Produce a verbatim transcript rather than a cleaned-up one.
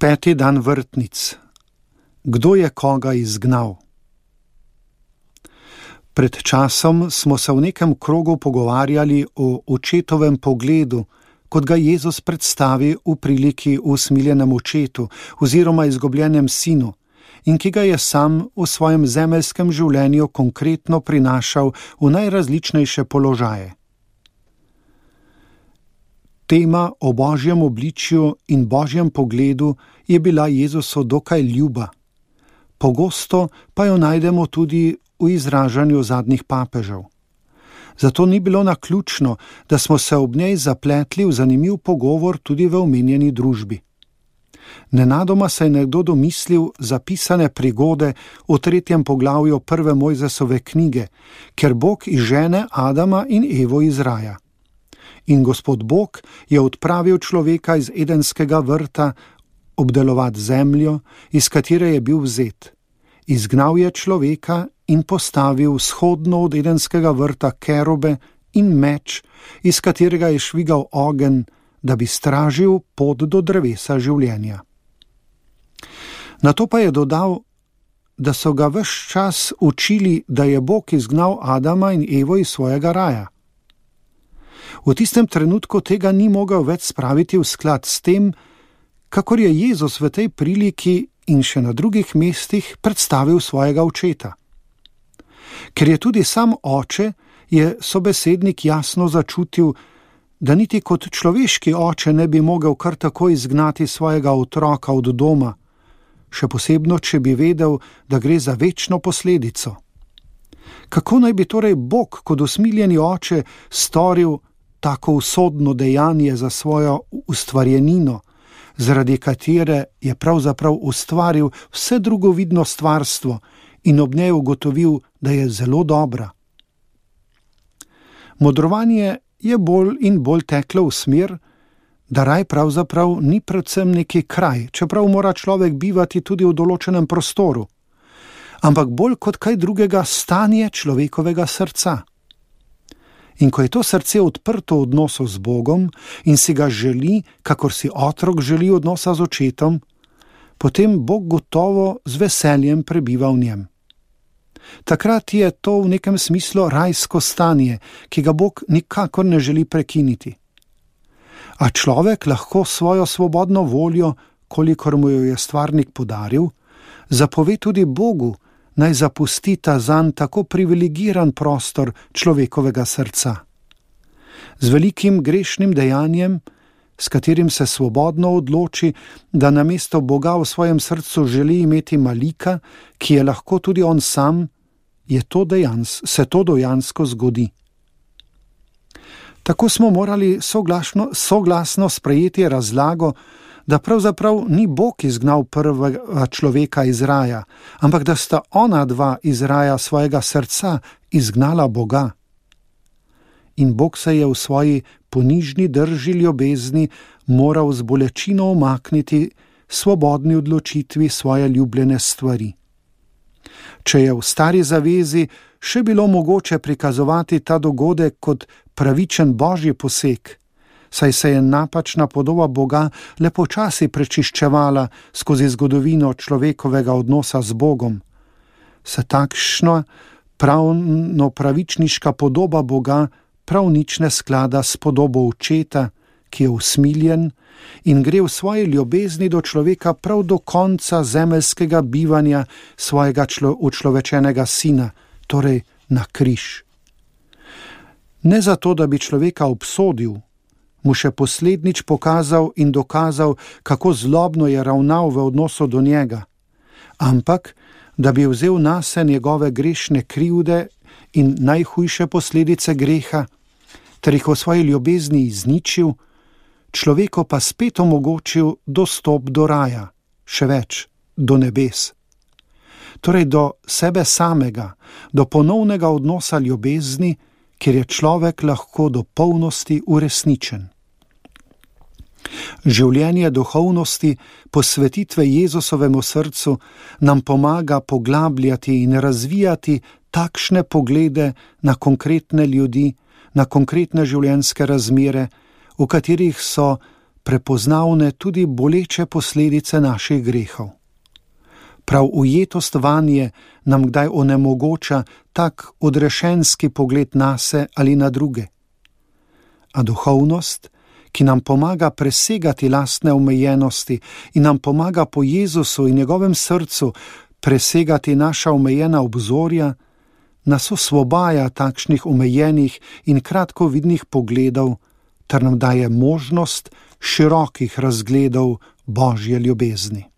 Peti dan vrtnic. Kdo je koga izgnal? Pred časom smo se v nekem krogu pogovarjali o očetovem pogledu, kot ga Jezus predstavi v priliki o usmiljenem očetu oziroma izgubljenem sinu, in ki ga je sam v svojem zemeljskem življenju konkretno prinašal v najrazličnejše položaje. Tema o Božjem obličju in Božjem pogledu je bila Jezusu dokaj ljuba. Pogosto pa jo najdemo tudi v izražanju zadnjih papežev. Zato ni bilo naključno, da smo se ob njej zapletli v zanimiv pogovor tudi v omenjeni družbi. Nenadoma se je nekdo domislil zapisane prigode v tretjem poglavju prve Mojzesove knjige, ker Bog izžene Adama in Evo iz raja. In Gospod Bog je odpravil človeka iz Edenskega vrta obdelovati zemljo, iz katere je bil vzet. Izgnal je človeka in postavil vzhodno od Edenskega vrta kerobe in meč, iz katerega je švigal ogenj, da bi stražil pot do drevesa življenja. Nato pa je dodal, da so ga ves čas učili, da je Bog izgnal Adama in Evo iz svojega raja. V tistem trenutku tega ni mogel več spraviti v sklad s tem, kakor je Jezus v tej priliki in še na drugih mestih predstavil svojega očeta. Ker je tudi sam oče, je sobesednik jasno začutil, da niti kot človeški oče ne bi mogel kar tako izgnati svojega otroka od doma, še posebno, če bi vedel, da gre za večno posledico. Kako naj bi torej Bog kot usmiljeni oče storil tako usodno dejanje za svojo ustvarjenino, zaradi katere je pravzaprav ustvaril vse drugovidno stvarstvo in ob njej ugotovil, da je zelo dobra? Modrovanje je bolj in bolj teklo v smer, da raj pravzaprav ni predvsem neki kraj, čeprav mora človek bivati tudi v določenem prostoru, ampak bolj kot kaj drugega stanje človekovega srca. In ko je to srce odprto v odnosu z Bogom in si ga želi, kakor si otrok želi odnosa z očetom, potem Bog gotovo z veseljem prebiva v njem. Takrat je to v nekem smislu rajsko stanje, ki ga Bog nikakor ne želi prekiniti. A človek lahko svojo svobodno voljo, kolikor mu jo je stvarnik podaril, zapove tudi Bogu, naj zapusti ta zanj tako privilegiran prostor človekovega srca. Z velikim grešnim dejanjem, s katerim se svobodno odloči, da namesto Boga v svojem srcu želi imeti malika, ki je lahko tudi on sam, je to dejans, se to dejansko zgodi. Tako smo morali soglasno, soglasno sprejeti razlago, da pravzaprav ni Bog izgnal prvega človeka iz raja, ampak da sta ona dva iz raja svojega srca izgnala Boga. In Bog se je v svoji ponižni drži ljubezni moral z bolečino umakniti svobodni odločitvi svoje ljubljene stvari. Če je v stari zavezi še bilo mogoče prikazovati ta dogodek kot pravičen božji poseg, saj se je napačna podoba Boga le počasi prečiščevala skozi zgodovino človekovega odnosa z Bogom, se takšna pravno pravičniška podoba Boga prav nič ne sklada s podobo očeta, ki je usmiljen in gre v svoji ljubezni do človeka prav do konca zemeljskega bivanja svojega člo, učlovečenega sina, torej na križ. Ne zato, da bi človeka obsodil, mu še poslednič pokazal in dokazal, kako zlobno je ravnal v odnosu do njega, ampak da bi vzel nase njegove grešne krivde in najhujše posledice greha, ter jih v svoji ljubezni izničil, človeku pa spet omogočil dostop do raja, še več, do nebes. Torej do sebe samega, do ponovnega odnosa ljubezni, kjer je človek lahko do polnosti uresničen. Življenje duhovnosti, posvetitve Jezusovemu srcu nam pomaga poglabljati in razvijati takšne poglede na konkretne ljudi, na konkretne življenjske razmere, v katerih so prepoznavne tudi boleče posledice naših grehov. Prav ujetost vanje nam kdaj onemogoča tak odrešenski pogled nase ali na druge. A duhovnost, ki nam pomaga presegati lastne omejenosti in nam pomaga po Jezusu in njegovem srcu presegati naša omejena obzorja, nas osvobaja takšnih omejenih in kratkovidnih pogledov ter nam daje možnost širokih razgledov Božje ljubezni.